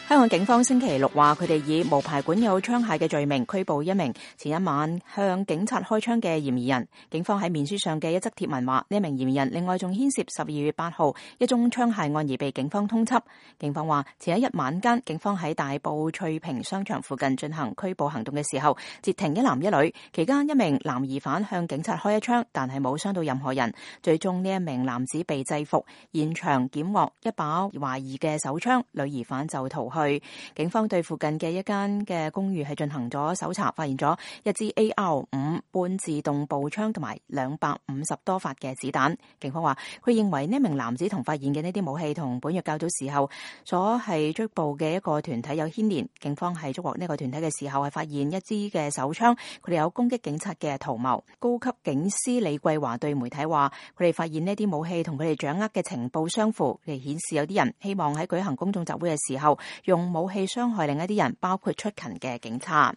香港警方星期六話，佢哋以無牌管有槍械嘅罪名拘捕一名前一晚向警察開槍嘅嫌疑人。警方喺面書上嘅一則貼文話，呢名嫌疑人另外仲牽涉12月8號一宗槍械案而被警方通緝。警方話，前一日晚間，警方喺大埔翠屏商場附近進行拘捕行動嘅時候，截停一男一女，期間一名男疑犯向警察開一槍，但係冇傷到任何人。最終呢一名男子被制服，現場檢獲一把懷疑嘅手槍，女疑犯就逃去。警方對附近嘅一間嘅公寓係進行咗搜查，發現咗一支 AR-5 半自動步槍同埋250多發嘅子彈。警方話，佢認為呢名男子同發現嘅呢啲武器同本月較早時候所係追捕嘅一個團體有牽連。警方係捉獲呢個團體嘅時候係發現一支嘅手槍，佢哋有攻擊警察嘅圖謀。高級警司李桂華對媒體話，佢哋發現呢啲武器同佢哋掌握嘅情報相符，佢哋顯示有啲人希望喺舉行公眾集會嘅時候用武器傷害另一啲人，包括出勤嘅警察。